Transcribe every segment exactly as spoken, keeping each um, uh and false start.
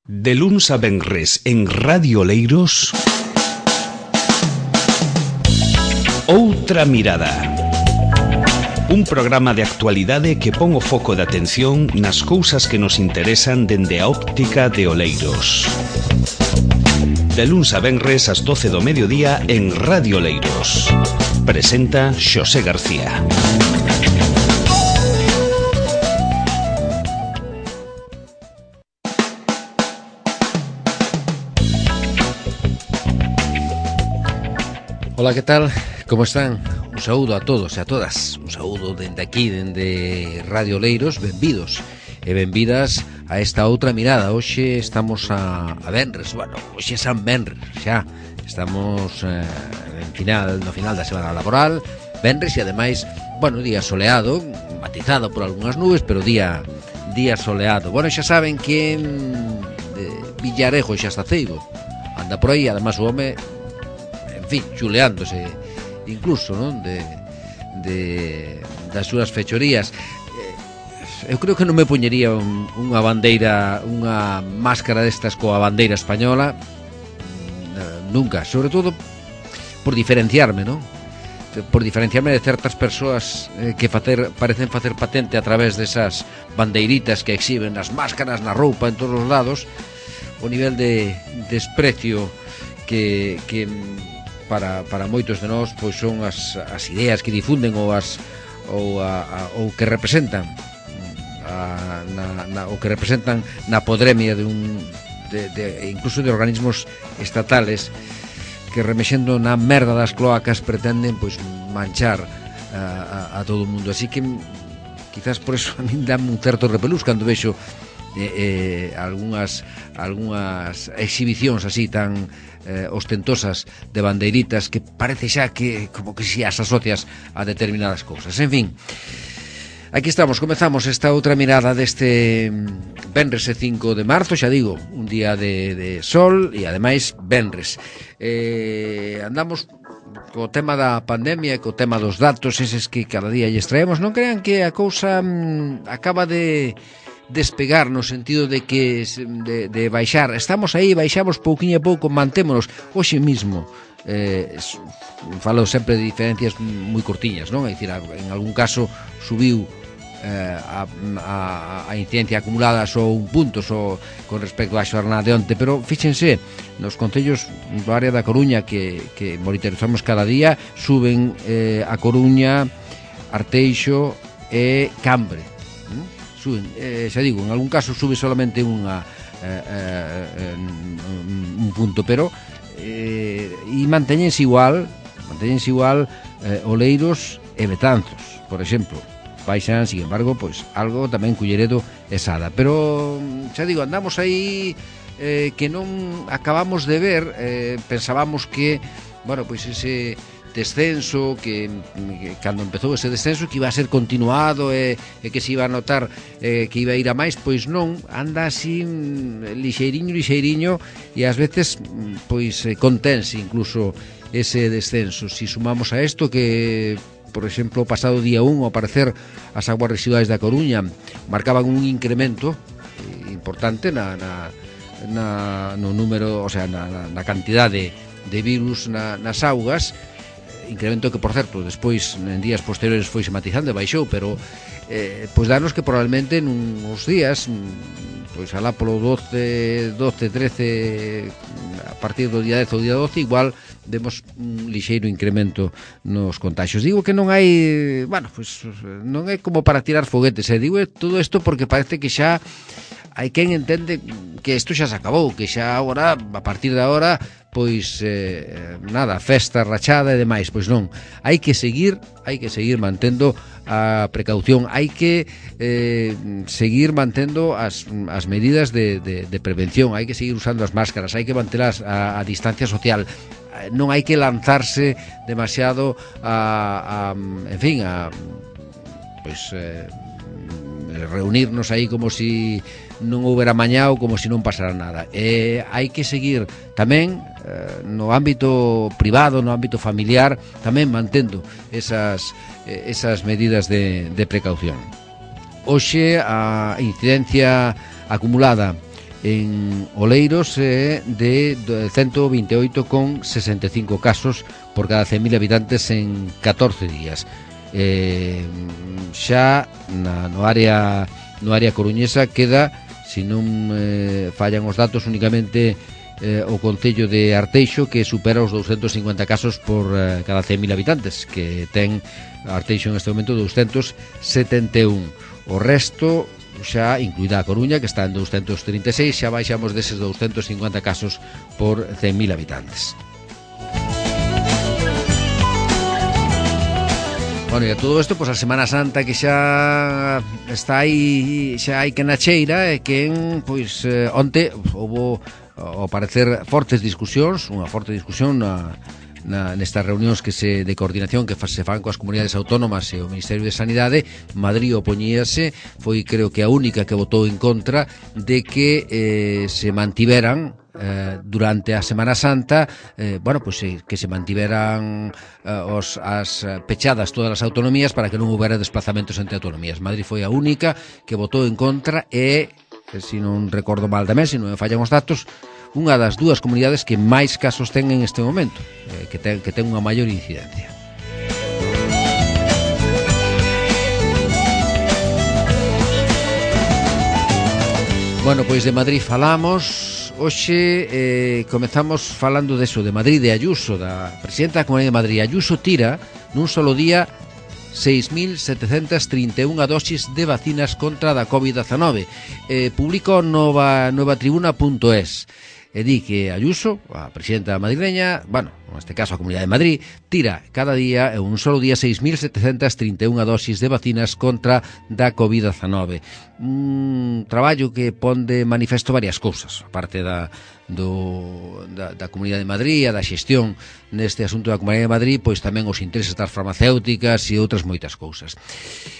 De luns a venres en Radio Oleiros, Outra Mirada. Un programa de actualidade que pon o foco de atención nas cousas que nos interesan dende a óptica de Oleiros. De luns a venres ás doce do mediodía en Radio Oleiros. Presenta Xosé García. Ola, que tal? Como están? Un saúdo a todos e a todas. Un saúdo dende aquí, dende Radio Oleiros. Benvidos e benvidas a esta outra mirada. Hoxe estamos a, a venres. Bueno, hoxe é San Venres, xa. Estamos eh, en final, no final da semana laboral. Venres e ademais, bueno, día soleado, matizado por algunhas nubes, pero día día soleado. Bueno, xa saben que en de Villarejo xa está ceibo. Anda por aí, además o home, en fin, chuleándose incluso, non? De, de das súas fechorías. Eu creo que non me poñería un, unha bandeira, unha máscara destas coa bandeira española, nunca, sobre todo por diferenciarme, non? Por diferenciarme de certas persoas eh, que facer, parecen facer patente a través desas bandeiritas que exhiben nas máscaras, na roupa, en todos os lados, o nivel de desprecio que, que para, para moitos de nós pois son as, as ideas que difunden ou as ou, a, a, ou que representan a, na, na, ou que representan na podremia de un de, de, incluso de organismos estatales que, remexendo na merda das cloacas, pretenden pois manchar a, a, a todo o mundo. Así que quizás por eso a min dame un certo repelús cando vexo eh, eh, algunhas algunhas exhibicións así tan eh, ostentosas de bandeiritas que parece xa que como que si as asocias a determinadas cousas. En fin, aquí estamos, comezamos esta outra mirada deste venres cinco de marzo, xa digo, un día de, de sol e ademais venres. Eh, andamos co tema da pandemia, co tema dos datos eses que cada día lles traemos. Non crean que a cousa mm, acaba de despegar no sentido de que de, de baixar. Estamos aí, baixamos pouquiño a pouco, mantémonos. Hoxe mismo eh, falo sempre de diferencias moi cortiñas, non? É dicir, en algún caso subiu eh, a, a, a incidencia acumulada só un punto só con respecto á xornada de onte, pero fíxense, nos concellos do área da Coruña que, que monitorizamos cada día, suben eh, a Coruña, Arteixo e Cambre. ¿Mm? Suben, eh, xa digo, en algún caso sube solamente unha eh, eh, un punto, pero eh, e mantéñense igual mantéñense igual eh, Oleiros e Betanzos, por exemplo. Baixan, sin embargo, pois algo tamén Culleredo e Sada, pero xa digo, andamos aí eh, que non acabamos de ver, eh, pensábamos que, bueno, pois ese descenso que, que cando empezou ese descenso que iba a ser continuado e, e que se iba a notar eh, que iba a ir a máis, pois non, anda así lixeiriño, lixeiriño e ás veces pois contense incluso ese descenso. Si sumamos a isto que, por exemplo, o pasado día un, ao aparecer as aguas residuais da Coruña marcaban un incremento importante na, na, na no número, o sea, na, na cantidade de virus na, nas augas, incremento que, por certo, despois en días posteriores foi matizando e baixou, pero eh, pois danos que probablemente nuns días, pois alá polo doce, doce, trece, a partir do día dez ou día doce, igual demos un lixeiro incremento nos contaxios. Digo que non hai, bueno, pois non é como para tirar foguetes, eh? Digo todo isto porque parece que xa hai quen entende que isto xa se acabou, que xa agora, a partir de agora, pois eh, nada, festa rachada e demais. Pois non, hai que seguir hai que seguir mantendo a precaución, hai que eh, seguir mantendo as, as medidas de, de, de prevención, hai que seguir usando as máscaras, hai que mantelas a, a distancia social, non hai que lanzarse demasiado a, a en fin, a pois eh, reunirnos aí como si non houbera mañá ou como se non pasara nada. E hai que seguir tamén eh, no ámbito privado, no ámbito familiar, tamén mantendo esas, eh, esas medidas de, de precaución. Hoxe a incidencia acumulada en Oleiros é de ciento veintiocho coma sesenta e cinco casos por cada cen mil habitantes en catorce días. Eh, xa na, no área no área coruñesa queda, se non eh, fallan os datos, únicamente eh, o concello de Arteixo, que supera os doscientos cincuenta casos por eh, cada cen mil habitantes, que ten Arteixo en este momento doscientos setenta e un. O resto, xa incluída a Coruña, que está en doscientos trinta e seis, xa baixamos deses doscientos cincuenta casos por cen mil habitantes. Bueno, e a todo isto, pois a Semana Santa que xa está aí, xa hai que na cheira, e que en, pois, eh, onte houbo, ao parecer, fortes discusións, unha forte discusión na Na, nestas reunións que se de coordinación que fa, se fan coas comunidades autónomas e o Ministerio de Sanidade. Madrid opoñíase, foi creo que a única que votou en contra de que eh, se mantiveran eh, durante a Semana Santa, eh, bueno, pues eh, que se mantiveran eh, os, as pechadas todas as autonomías para que non houbera desplazamentos entre autonomías. Madrid foi a única que votou en contra e, se non recordo mal tamén, se non me fallan os datos, unha das dúas comunidades que máis casos ten en este momento, eh, que, ten, que ten unha maior incidencia. Bueno, pois de Madrid falamos. Hoxe eh, comezamos falando deso, de Madrid, de Ayuso, da presidenta da Comunidade de Madrid. Ayuso tira nun solo día seis mil setecentas trinta e unha dosis de vacinas contra da covid diecinueve. Eh, publica nova, nova tribuna punto es. E di que Ayuso, a presidenta madrileña, bueno, neste caso a Comunidade de Madrid, tira cada día, en un solo día, seis mil setecentas trinta e unha dosis de vacinas contra da covid diecinueve. Un traballo que pon de manifesto varias cousas, aparte da, do, da, da Comunidade de Madrid, a da xestión neste asunto da Comunidade de Madrid, pois tamén os intereses das farmacéuticas e outras moitas cousas.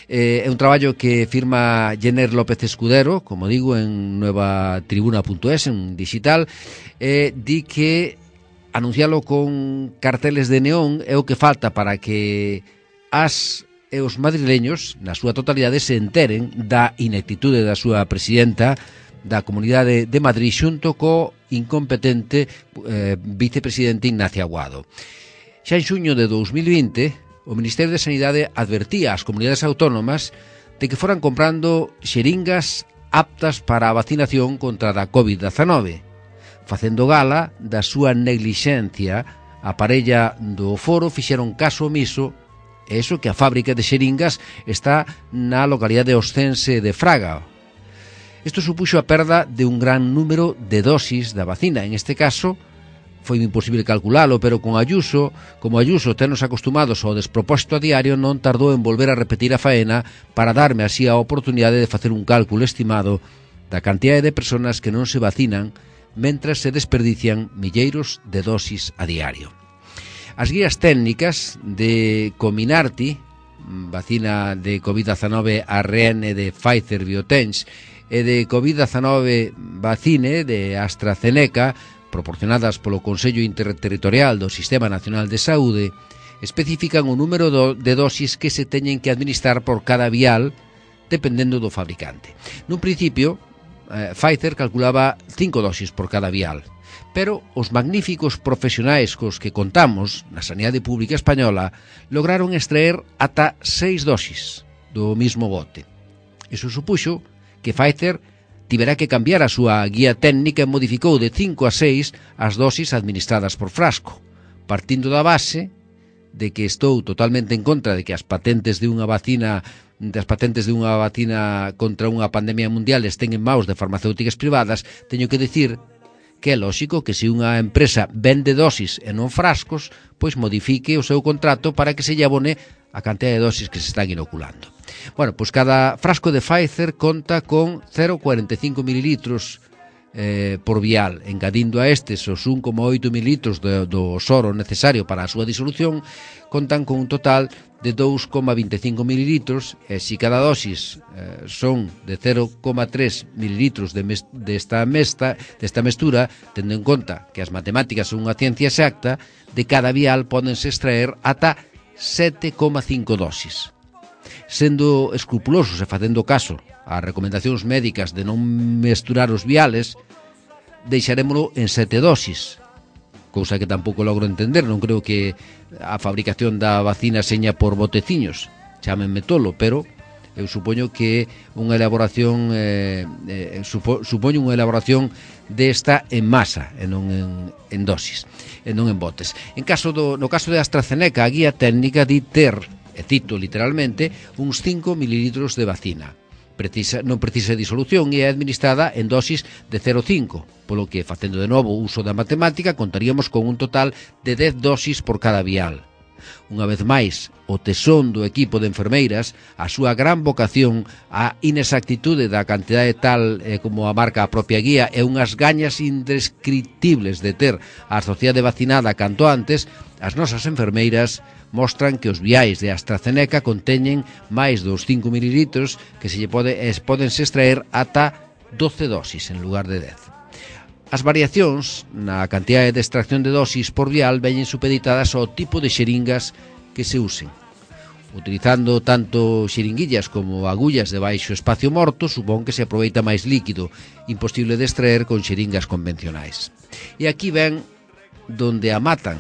Eh, é un traballo que firma Jenner López Escudero, como digo, en nova tribuna punto es, en digital, e di que anuncialo con carteles de neón é o que falta para que as e os madrileños, na súa totalidade, se enteren da ineptitude da súa presidenta da Comunidade de Madrid xunto co incompetente eh, vicepresidente Ignacio Aguado. Xa en xuño de dous mil vinte, o Ministerio de Sanidade advertía ás comunidades autónomas de que foran comprando xeringas aptas para a vacinación contra a covid diecinueve, facendo gala da súa neglixencia. A parella do foro fixeron caso omiso, e iso que a fábrica de xeringas está na localidade oscense de Fraga. Isto supuxo a perda de un gran número de dosis da vacina. En este caso, foi imposible calculalo, pero con Ayuso, como Ayuso tenos acostumados ao despropósito a diario, non tardou en volver a repetir a faena para darme así a oportunidade de facer un cálculo estimado da cantidade de persoas que non se vacinan mentras se desperdician milleiros de dosis a diario. As guías técnicas de Comirnaty, vacina de covid diecinueve A R N de Pfizer-BioNTech, e de covid diecinueve Vacine de AstraZeneca, proporcionadas polo Consello Interterritorial do Sistema Nacional de Saúde, especifican o número do, de dosis que se teñen que administrar por cada vial, dependendo do fabricante. Nun principio, eh, Pfizer calculaba cinco dosis por cada vial, pero os magníficos profesionais cos que contamos na sanidade pública española lograron extraer ata seis dosis do mismo bote. Iso supuxo que Pfizer tivera que cambiar a súa guía técnica e modificou de cinco a seis as dosis administradas por frasco, partindo da base de que estou totalmente en contra de que as patentes de unha vacina das patentes de unha vacina contra unha pandemia mundial estén en maus de farmacéuticas privadas. Teño que dicir que é lóxico que se unha empresa vende dosis e non frascos, pois modifique o seu contrato para que se lle abone a cantidad de dosis que se están inoculando. Bueno, pois cada frasco de Pfizer conta con cero coma cuarenta e cinco mililitros eh, por vial, engadindo a estes os un coma oito mililitros do, do soro necesario para a súa disolución, contan con un total de dous coma vinte e cinco mililitros, e se cada dosis eh, son de cero coma tres mililitros de mes, desta, mesta, desta mestura, tendo en conta que as matemáticas son unha ciencia exacta, de cada vial pódense extraer ata sete coma cinco dosis. Sendo escrupulosos e facendo caso ás recomendacións médicas de non mesturar os viales, deixarémolo en sete dosis, cousa que tampouco logro entender. Non creo que a fabricación da vacina seña por boteciños, chámenme tolo, pero eu supoño que unha elaboración eh, eh, supo, supoño unha elaboración desta en masa e non en, en dosis, e non en botes. En caso do, no caso de AstraZeneca, a guía técnica di ter, e cito literalmente, uns cinco mililitros de vacina. Precisa, non precisa disolución e é administrada en dosis de cero coma cinco, polo que, facendo de novo uso da matemática, contaríamos con un total de dez dosis por cada vial. Unha vez máis, o tesón do equipo de enfermeiras, a súa gran vocación, a inexactitude da cantidade tal eh, como a marca a propia guía e unhas gañas indescriptibles de ter a sociedade vacinada canto antes, as nosas enfermeiras mostran que os viais de AstraZeneca conteñen máis dos cinco mililitros que se lle pode, es, podense extraer ata doce dosis en lugar de dez. As variacións na cantidade de extracción de dosis por vial veñen supeditadas ao tipo de xeringas que se usen. Utilizando tanto xeringuillas como agullas de baixo espacio morto, supón que se aproveita máis líquido, imposible de extraer con xeringas convencionais. E aquí ven donde a matan.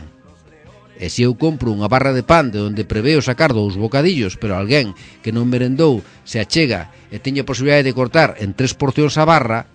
E se eu compro unha barra de pan de onde preveo sacar dous bocadillos, pero alguén que non merendou se achega e teña a posibilidade de cortar en tres porcións a barra,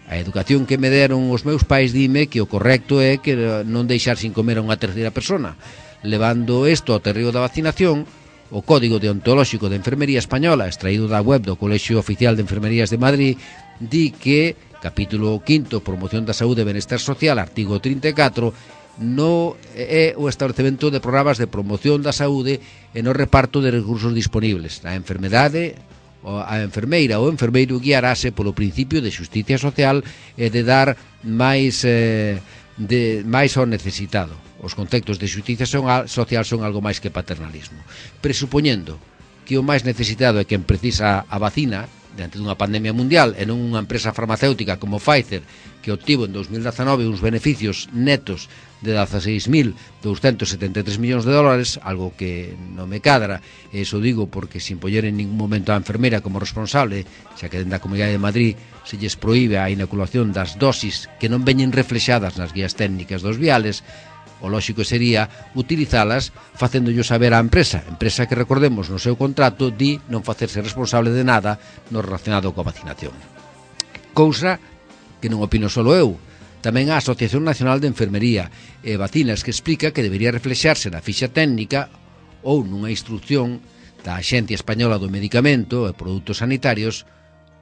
a educación que me deron os meus pais dime que o correcto é que non deixar sin comer a unha terceira persona. Levando isto ao terreo da vacinación, o Código Deontolóxico de Enfermería Española, extraído da web do Colexio Oficial de Enfermerías de Madrid, di que, capítulo quinto, Promoción da Saúde e Benestar Social, artigo trinta e catro, no é o establecemento de programas de promoción da saúde e no reparto de recursos disponibles. A enfermedade, a enfermeira ou enfermeiro guiarase polo principio de xusticia social e de dar máis eh, de máis ao necesitado. Os conceptos de xusticia social son algo máis que paternalismo. Presupoñendo que o máis necesitado é quen precisa a vacina diante dunha pandemia mundial e non unha empresa farmacéutica como Pfizer, que obtivo en dos mil dezanove uns beneficios netos de dezaseis mil douscentos setenta e tres millóns de dólares, algo que non me cadra, e iso digo porque sin poñer en ningún momento a enfermera como responsable, xa que dentro da Comunidade de Madrid se lles proíbe a inoculación das dosis que non veñen reflexadas nas guías técnicas dos viales, o lóxico sería utilizalas facéndollo saber á empresa, empresa que, recordemos, no seu contrato di non facerse responsable de nada no relacionado coa vacinación. Cousa que non opino solo eu, tamén a Asociación Nacional de Enfermería e Vacinas, que explica que debería reflexarse na fixa técnica ou nunha instrucción da Axencia Española do Medicamento e Produtos Sanitarios,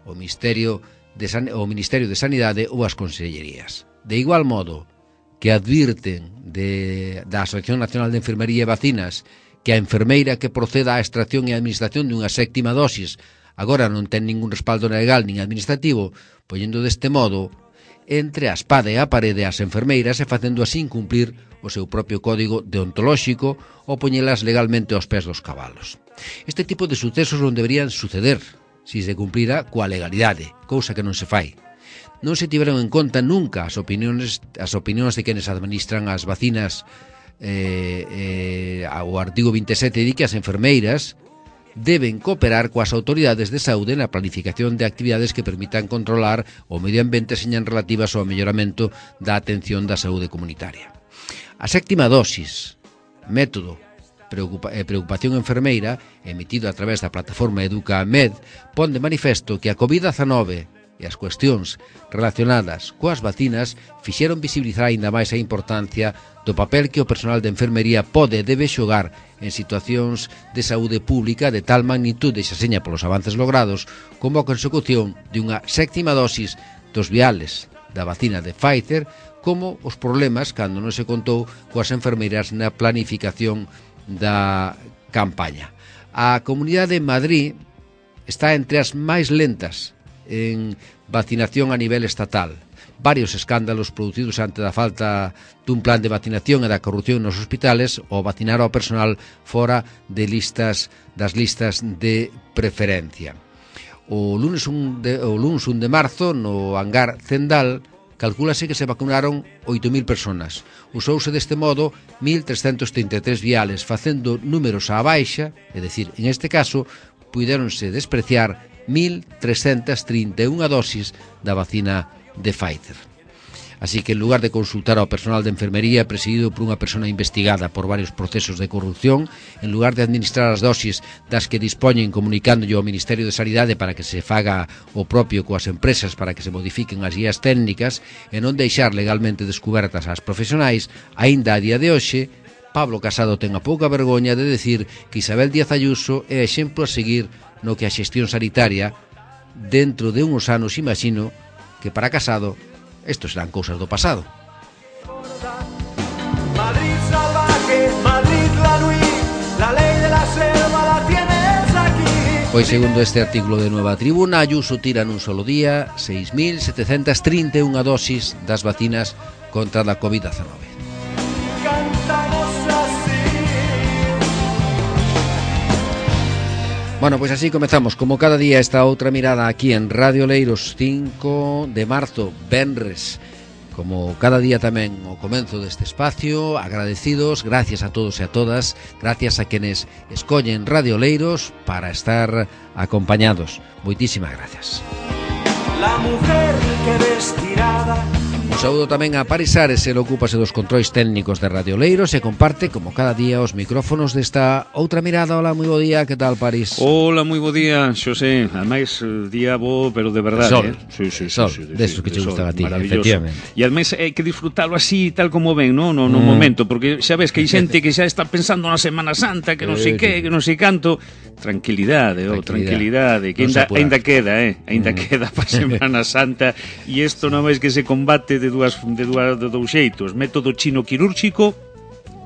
o Ministerio de, San... o Ministerio de Sanidade ou as Consellerías. De igual modo que advirten de, da Asociación Nacional de Enfermería e Vacinas que a enfermeira que proceda á extracción e administración dunha séptima dosis agora non ten ningún respaldo legal nin administrativo, poñendo deste modo entre a espada e a parede as enfermeiras e facendo así incumplir o seu propio código deontolóxico ou poñelas legalmente aos pés dos cabalos. Este tipo de sucesos non deberían suceder se se cumplira coa legalidade, cousa que non se fai. Non se tiveron en conta nunca as opinións, as opinións de quenes administran as vacinas. eh, eh, o artigo vinte e sete di que as enfermeiras deben cooperar coas autoridades de saúde na planificación de actividades que permitan controlar o medio ambiente señan relativas ao melloramento da atención da saúde comunitaria. A séptima dosis, método Preocupa, eh, preocupación enfermeira, emitido a través da plataforma EducaMed, pon de manifesto que a covid dezanove e as cuestións relacionadas coas vacinas fixeron visibilizar aínda máis a importancia do papel que o personal de enfermería pode e debe xogar en situacións de saúde pública de tal magnitude xa seña polos avances logrados como a consecución de unha séptima dosis dos viales da vacina de Pfizer, como os problemas cando non se contou coas enfermeiras na planificación da campaña. A Comunidade de Madrid está entre as máis lentas en vacinación a nivel estatal. Varios escándalos producidos ante da falta dun plan de vacinación e da corrupción nos hospitales ou vacinar ao personal fora de listas das listas de preferencia. O lunes un de, o lunes un de marzo no hangar Zendal calcúlase que se vacunaron oito mil personas. Usouse deste modo mil trescentos trinta e tres viales, facendo números á baixa, é dicir, en este caso, puidéronse despreciar mil trescentas trinta e unha dosis da vacina de Pfizer. Así que en lugar de consultar ao personal de enfermería presidido por unha persona investigada por varios procesos de corrupción, en lugar de administrar as dosis das que dispoñen comunicándolle ao Ministerio de Sanidade para que se faga o propio coas empresas para que se modifiquen as guías técnicas e non deixar legalmente descubertas ás profesionais, aínda a día de hoxe, Pablo Casado ten a pouca vergoña de decir que Isabel Díaz Ayuso é exemplo a seguir no que a xestión sanitaria dentro de uns anos imagino que para Casado isto serán cousas do pasado. Madrid salvaje, Madrid la nuit, la ley de la selva la tienes aquí. Pois segundo este artículo de Nueva Tribuna, Ayuso tira nun solo día seis mil setecentas trinta e unha dosis das vacinas contra a covid diecinueve. Cantamos así. Bueno, pois así comezamos como cada día esta outra mirada aquí en Radio Oleiros, cinco de marzo, venres. Como cada día tamén o comenzo deste espacio, agradecidos, gracias a todos e a todas, gracias a quenes escollen Radio Oleiros para estar acompañados. Moitísimas gracias. La mujer que vestirada. Un saúdo tamén a Paris Ares, el ocúpase dos controis técnicos de Radio Oleiros e comparte, como cada día, os micrófonos desta outra mirada. Hola, moi bo día, que tal, Paris? Hola, moi bo día, Xosé. Ademais, día bo, pero de verdade. Sol, eh? sí, sí, sol, sí, sí, desos sí, que che sol, gustan a ti, maravilloso. efectivamente. E ademais hai que disfrutalo así, tal como ven, no, no, no Mm. momento, porque xa ves que hai xente que xa está pensando na Semana Santa, que non sei Sí, que, sí. que non sei canto. Tranquilidade, oh, tranquilidade, que Non se ainda, apura. ainda queda, eh? Ainda Mm. queda para Semana Santa, e isto non máis que se combate de dúas de dúas de dous xeitos, método chino quirúrxico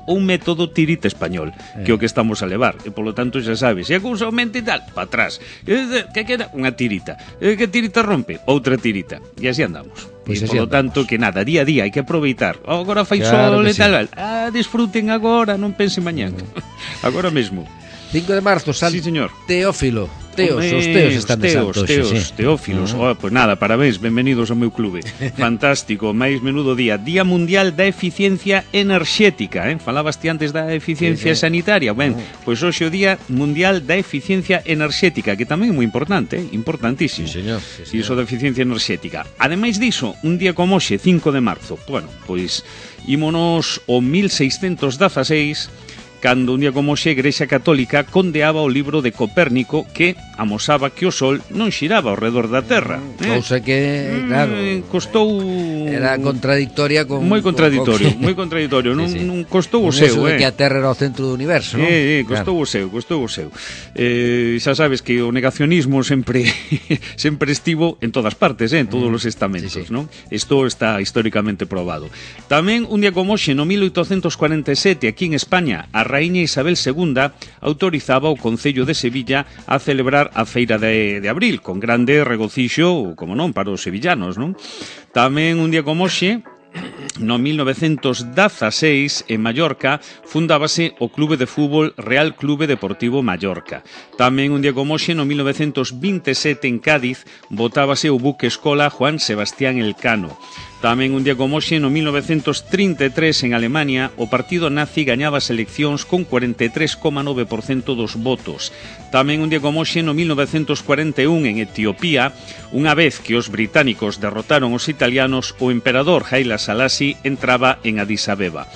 ou un método tirita español, que é o que estamos a levar, e polo tanto xa sabes, se a cousa aumenta e tal, para atrás, e, que queda unha tirita, e que tirita rompe, outra tirita, e así andamos. Pois E así polo andamos. tanto que nada, día a día hai que aproveitar. Oh, agora fai Claro sol que e tal, ah, disfruten agora, non pensen mañán. Agora mesmo. cinco de marzo, San Sí, señor. Teófilo. Teos, Hombre, os teos están de teos, santo teos, hoxe, sí. teófilos. Uh-huh. Oh, pues nada, parabéns, benvenidos ao meu clube. Fantástico, máis menudo día. Día Mundial da Eficiencia Enerxética, eh? Falabas ti antes da eficiencia Sí, sí. sanitaria. Ben, Uh-huh. pois hoxe o Día Mundial da Eficiencia Enerxética, que tamén é moi importante, eh? Importantísimo. Sí, señor, sí, E iso señor. da eficiencia enerxética. Ademais diso, un día como hoxe, cinco de marzo, bueno, pois ímonos o mil seiscentos dezaseis, cando un día como hoxe a Igrexa Católica condeaba o libro de Copérnico que amosaba que o Sol non xiraba ao redor da Terra. eh? Cousa que, claro, Mm, costou... era contradictoria con... Moi contradictorio, con- moi contradictorio. Non, Sí, sí. non costou o Con seu, eso de eh? que a Terra era o centro do universo, non? Eh, eh, costou o seu, costou o seu. Eh, xa sabes que o negacionismo sempre sempre estivo en todas partes, eh, en todos os estamentos, sí, sí. non? Isto está históricamente probado. Tamén un día como hoxe, no mil oitocentos cuarenta e sete, aquí en España, a raíña Isabel segunda autorizaba o Concello de Sevilla a celebrar a feira de, de abril, con grande regocixo, como non, para os sevillanos, non? Tamén un día como hoxe, no mil novecentos dezaseis, en Mallorca, fundábase o Clube de Fútbol Real Clube Deportivo Mallorca. Tamén un día como hoxe, no mil novecentos veintesete, en Cádiz, botábase o buque escola Juan Sebastián Elcano. Tamén un día como hoxe, no mil novecentos trinta e tres, en Alemania, o partido nazi gañaba as eleccións con cuarenta e tres coma nove por cento dos votos. Tamén un día como hoxe, no mil novecentos cuarenta e un, en Etiopía, unha vez que os británicos derrotaron os italianos, o emperador Haile Selassie entraba en Addis Abeba.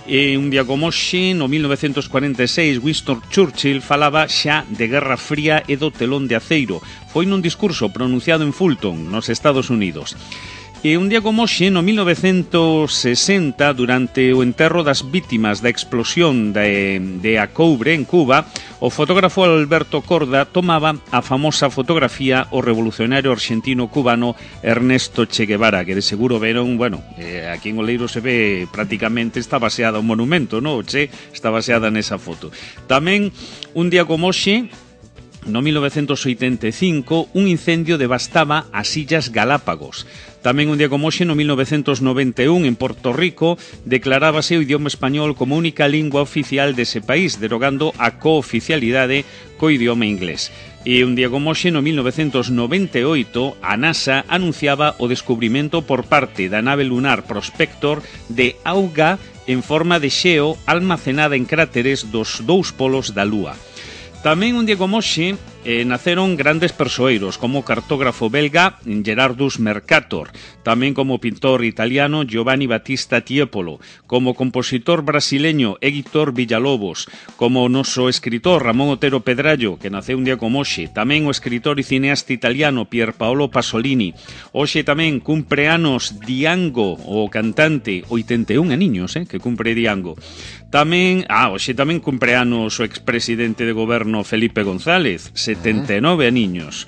E un día como hoxe, no mil novecentos cuarenta e seis, Winston Churchill falaba xa de Guerra Fría e do telón de aceiro. Foi nun discurso pronunciado en Fulton, nos Estados Unidos. E un día como hoxe, no mil novecentos sesenta, durante o enterro das vítimas da explosión de, de Acoubre, en Cuba, o fotógrafo Alberto Corda tomaba a famosa fotografía o revolucionario argentino-cubano Ernesto Che Guevara, que de seguro veron, bueno, eh, aquí en Oleiros se ve prácticamente, está baseada un monumento, ¿no? O Che está baseada nesa foto. Tamén, un día como hoxe, no mil novecentos oitenta e cinco, un incendio devastaba as Illas Galápagos. Tamén un día como hoxe, no mil novecentos noventa e un, en Porto Rico, declarábase o idioma español como única lingua oficial dese país, derogando a cooficialidade co idioma inglés. E un día como hoxe, no mil novecentos noventa e oito, a NASA anunciaba o descubrimento por parte da nave lunar Prospector de auga en forma de xeo almacenada en cráteres dos dous polos da Lúa. Tamén un día como hoxe, eh, naceron grandes persoeiros como o cartógrafo belga Gerardus Mercator, tamén como pintor italiano Giovanni Battista Tiepolo, como compositor brasileño Héctor Villalobos, como o noso escritor Ramón Otero Pedrallo, que naceu un día como hoxe, tamén o escritor e cineasta italiano Pier Paolo Pasolini. Hoxe tamén cumpre anos Diango, o cantante, oitenta e un aniños, eh, que cumpre Diango. Tamén, ah, hoxe tamén cumpre anos o expresidente de goberno Felipe González, setenta e nove aniños.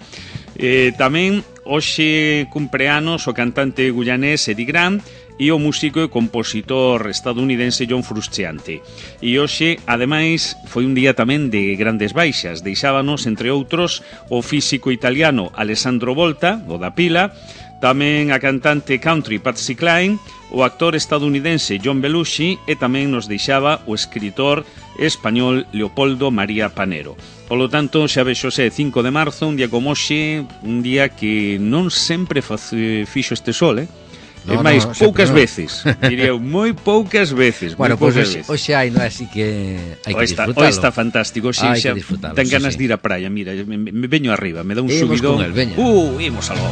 Eh, tamén hoxe cumpre anos o cantante guyanés Eddie Grant e o músico e compositor estadounidense John Frusciante. E hoxe, ademais, foi un día tamén de grandes baixas. Deixábanos, entre outros, o físico italiano Alessandro Volta, o da pila, tamén a cantante country Patsy Cline, o actor estadounidense John Belushi e tamén nos deixaba o escritor español Leopoldo María Panero. Polo tanto, xa vexose cinco de marzo, un día como hoxe, un día que non sempre face, fixo este sol, eh? No, é máis, no, poucas no. veces, diría, moi poucas veces. Bueno, pois pues, hoxe hai, non é así que hai que está, disfrutalo. Hoxe está fantástico, hoxe xa ten ganas sí, sí. de ir á praia, mira, me, me veño arriba, me dá un imos subidón. Con el, veña. Uh, imos algo.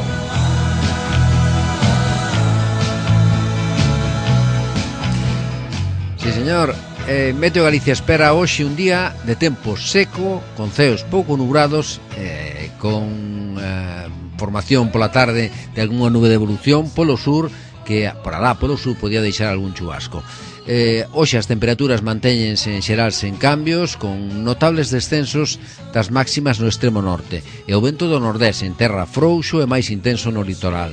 Sí, señor. Eh, Meteo Galicia espera hoxe un día de tempo seco, con ceos pouco nubrados, eh, con eh, formación pola tarde de algunha nube de evolución polo sur, que por alá polo sur podía deixar algún chubasco. Eh, hoxe as temperaturas mantéñense en xeral sen cambios, con notables descensos das máximas no extremo norte, e o vento do nordés en terra frouxo e máis intenso no litoral.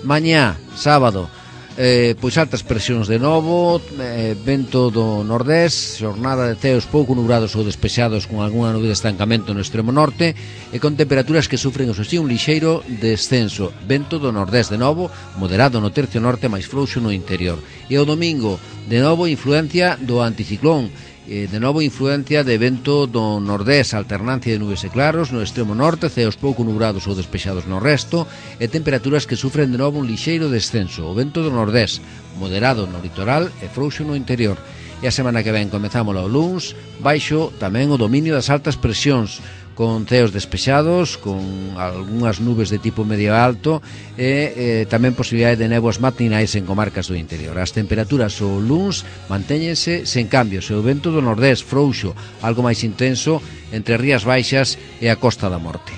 Mañá, sábado, Eh, pois altas presións de novo, eh, vento do nordés, xornada de ceos pouco nubrados ou despexados con algunha nube de estancamento no extremo norte e con temperaturas que sufren o así un lixeiro descenso, vento do nordés de novo, moderado no tercio norte, máis frouxo no interior. E o domingo, de novo influencia do anticiclón, eh, de novo influencia de vento do nordés, alternancia de nubes e claros no extremo norte, ceos pouco nubrados ou despexados no resto e temperaturas que sufren de novo un lixeiro descenso, o vento do nordés, moderado no litoral e frouxo no interior. E a semana que ven comezamos o luns, baixo tamén o dominio das altas presións, con ceos despexados, con algunhas nubes de tipo medio alto e eh, tamén posibilidade de néboas matinais en comarcas do interior. As temperaturas o luns mantéñense sen cambios e o vento do nordés frouxo, algo máis intenso entre as Rías Baixas e a Costa da Morte.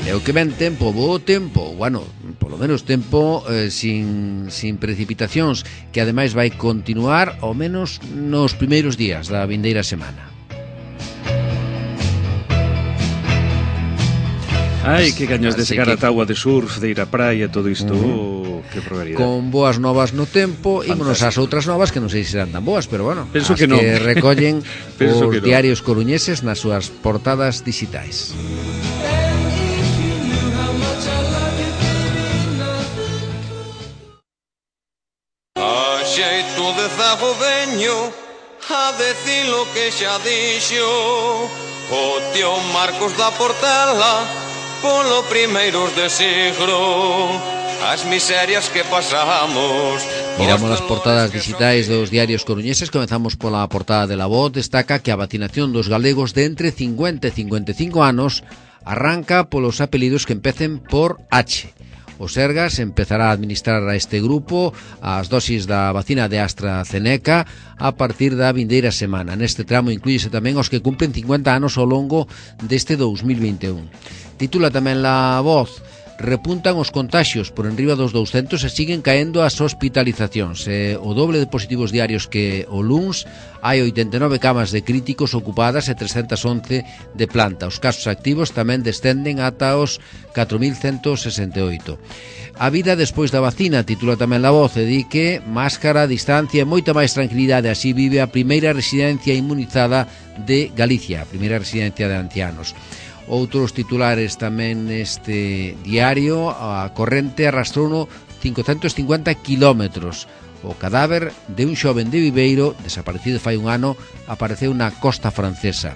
E o que ven tempo, bo tempo, bueno, polo menos tempo eh, sin, sin precipitacións, que ademais vai continuar ao menos nos primeiros días da vindeira semana. Ai, que gaños de secar que... a táua de surf, de ir á praia, todo isto, uh-huh. oh, que barbaridade. Con boas novas no tempo, ímonos ás outras novas que non sei se serán tan boas, pero bueno, penso as que, que no. recollen os que no. diarios coruñeses nas súas portadas digitais. Xeito de zago veño a decir lo que xa dixo o tío Marcos da Portela polo primeiros de siglo as miserias que pasamos. Miramos as portadas digitais dos diarios coruñeses. Comezamos pola portada de La Voz. Destaca que a vacinación dos galegos de entre cincuenta e cincuenta e cinco anos arranca polos apelidos que empecen por H. O Sergas empezará a administrar a este grupo as dosis da vacina de AstraZeneca a partir da vindeira semana. Neste tramo inclúyese tamén os que cumplen cincuenta anos ao longo deste dous mil vinte e un. Titula tamén La Voz: repuntan os contaxios por enriba dos douscentos e siguen caendo as hospitalizacións. E o doble de positivos diarios que o luns, hai oitenta e nove camas de críticos ocupadas e trescentos once de planta. Os casos activos tamén descenden ata os catro mil cento sesenta e oito. A vida despois da vacina, titula tamén La Voz, e di que máscara, distancia e moita máis tranquilidade. Así vive a primeira residencia inmunizada de Galicia, a primeira residencia de ancianos. Outros titulares tamén neste diario: a corrente arrastrouno cincocentos cincuenta kilómetros. O cadáver de un xoven de Viveiro, desaparecido fai un ano, apareceu na costa francesa.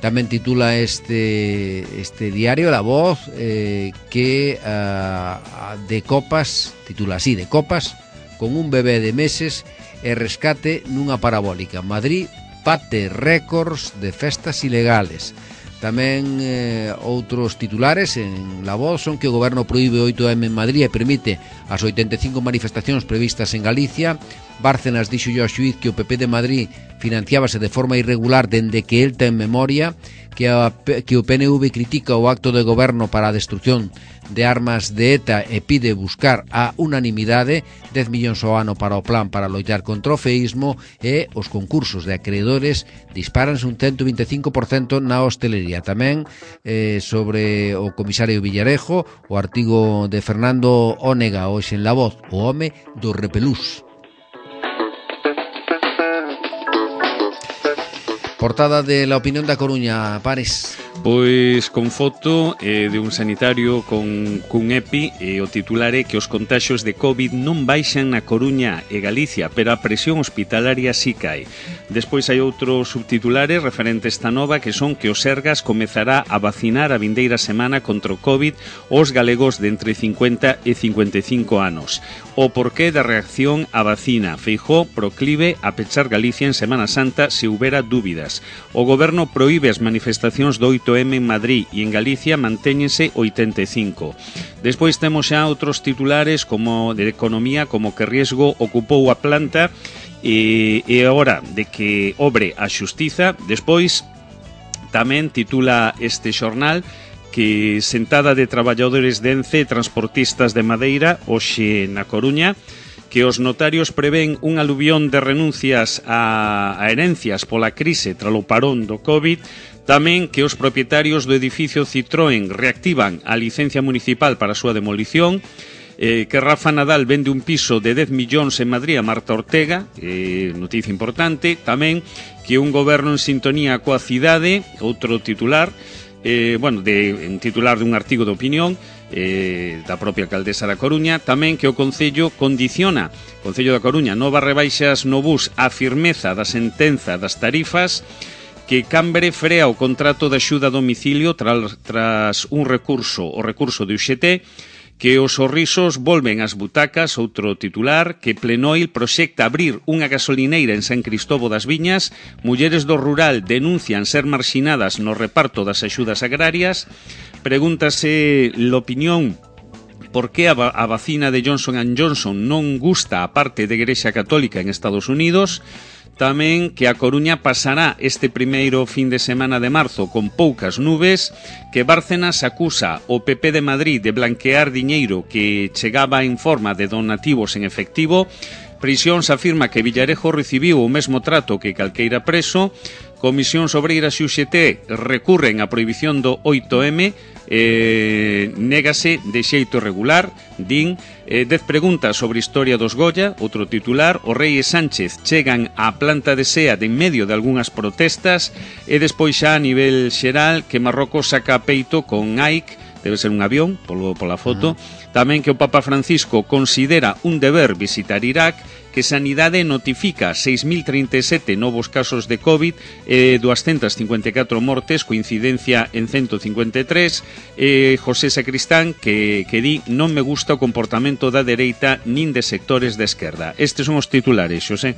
Tamén titula este, este diario, La Voz, eh, que uh, de copas, titula así, de copas, con un bebé de meses e rescate nunha parabólica. Madrid bate récords de festas ilegales. Tamén eh, outros titulares en La Voz son que o goberno proíbe o oito eme en Madrid e permite as oitenta e cinco manifestacións previstas en Galicia. Bárcenas dixo yo a xuíz que o P P de Madrid financiábase de forma irregular dende que el ten memoria, que, a, que o P N V critica o acto de goberno para a destrucción de armas de ETA e pide buscar a unanimidade, dez millóns ao ano para o plan para loitar contra o feísmo, e os concursos de acreedores dispáranse un cento vinte e cinco por cento na hostelería. Tamén eh, sobre o comisario Villarejo, o artigo de Fernando Ónega hoxe en La Voz, o home do repelús. Portada de La Opinión da Coruña, Pares. Pois con foto eh, de un sanitario con cun EPI, e o titular é que os contaxios de COVID non baixan na Coruña e Galicia, pero a presión hospitalaria si cae. Despois hai outros subtitulares referentes esta nova, que son que o Sergas comezará a vacinar a vindeira semana contra o COVID os galegos de entre cincuenta e cincuenta e cinco anos. O porqué da reacción á vacina. Feijóo proclive a pechar Galicia en Semana Santa se houbera dúbidas. O goberno proíbe as manifestacións do oito eme en Madrid e en Galicia mantéñense oitenta e cinco. Despois temos xa outros titulares como de economía, como que riesgo ocupou a planta e, e a hora de que obre a xustiza. Despois tamén titula este xornal que sentada de traballadores de Ence e transportistas de Madeira hoxe na Coruña, que os notarios prevén un aluvión de renuncias a, a herencias pola crise tralo parón do COVID. Tamén que os propietarios do edificio Citroën reactivan a licencia municipal para a súa demolición, eh, que Rafa Nadal vende un piso de dez millóns en Madrid a Marta Ortega, eh, noticia importante. Tamén que un goberno en sintonía coa cidade, outro titular, eh, bueno, de, un titular de un artigo de opinión eh, da propia alcaldesa da Coruña. Tamén que o Concello condiciona, Concello da Coruña, novas rebaixas no bus a firmeza da sentenza das tarifas, que Cambre frea o contrato de axuda a domicilio tras, tras un recurso, o recurso de U X T, que os sorrisos volven ás butacas, outro titular, que Plenoil proxecta abrir unha gasolineira en San Cristobo das Viñas, mulleres do rural denuncian ser marxinadas no reparto das axudas agrarias. Pregúntase l'opinión por que a, a vacina de Johnson and Johnson non gusta a parte de Igrexa Católica en Estados Unidos. Tamén que a Coruña pasará este primeiro fin de semana de marzo con poucas nubes, que Bárcenas acusa o P P de Madrid de blanquear diñeiro que chegaba en forma de donativos en efectivo. Prisións afirma que Villarejo recibiu o mesmo trato que calqueira preso. Comisións Obreiras e U X T recurren á prohibición do oito eme, eh, négase de xeito regular, din. eh, dez preguntas sobre historia dos Goya, outro titular. O rei e Sánchez chegan á planta de SEAT en medio de algunhas protestas, e despois xa a nivel xeral que Marrocos saca peito con Nike, debe ser un avión, polo, pola foto. Uh-huh. Tamén que o Papa Francisco considera un deber visitar Irak, que Sanidade notifica seis mil trinta e sete novos casos de COVID e doscientas cincuenta e catro mortes, coincidencia en ciento cincuenta e tres. E José Sacristán que, que di non me gusta o comportamento da dereita nin de sectores de esquerda. Estes son os titulares, Xosé.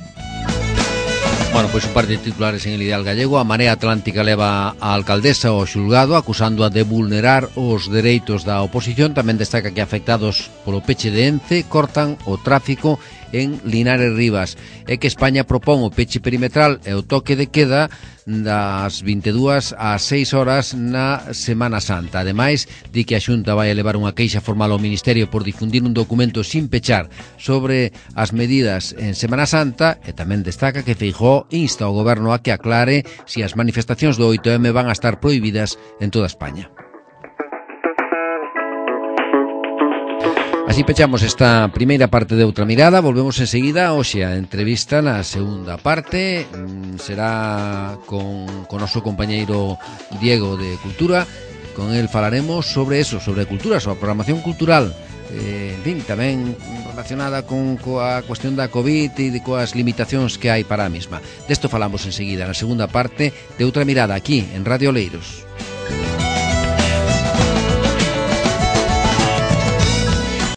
Bueno, pois un par de titulares en el Ideal Gallego. A Marea Atlántica leva a alcaldesa ao xulgado acusándoa de vulnerar os dereitos da oposición. Tamén destaca que afectados polo peche de Ence cortan o tráfico en Linares Rivas, e que España propón o peche perimetral e o toque de queda das vinte e dúas ás seis horas na Semana Santa. Ademais, di que a Xunta vai elevar unha queixa formal ao Ministerio por difundir un documento sin pechar sobre as medidas en Semana Santa, e tamén destaca que Feijóo insta ao goberno a que aclare se as manifestacións do oito eme van a estar prohibidas en toda España. Así pechamos esta primeira parte de Outra Mirada. Volvemos enseguida hoxe a entrevista na segunda parte. Será con, con noso compañeiro Diego de Cultura. Con el falaremos sobre eso, sobre cultura, sobre a programación cultural. Eh, en fin, tamén relacionada con coa cuestión da COVID e de coas limitacións que hai para a mesma. Desto falamos enseguida na segunda parte de Outra Mirada aquí en Radio Oleiros.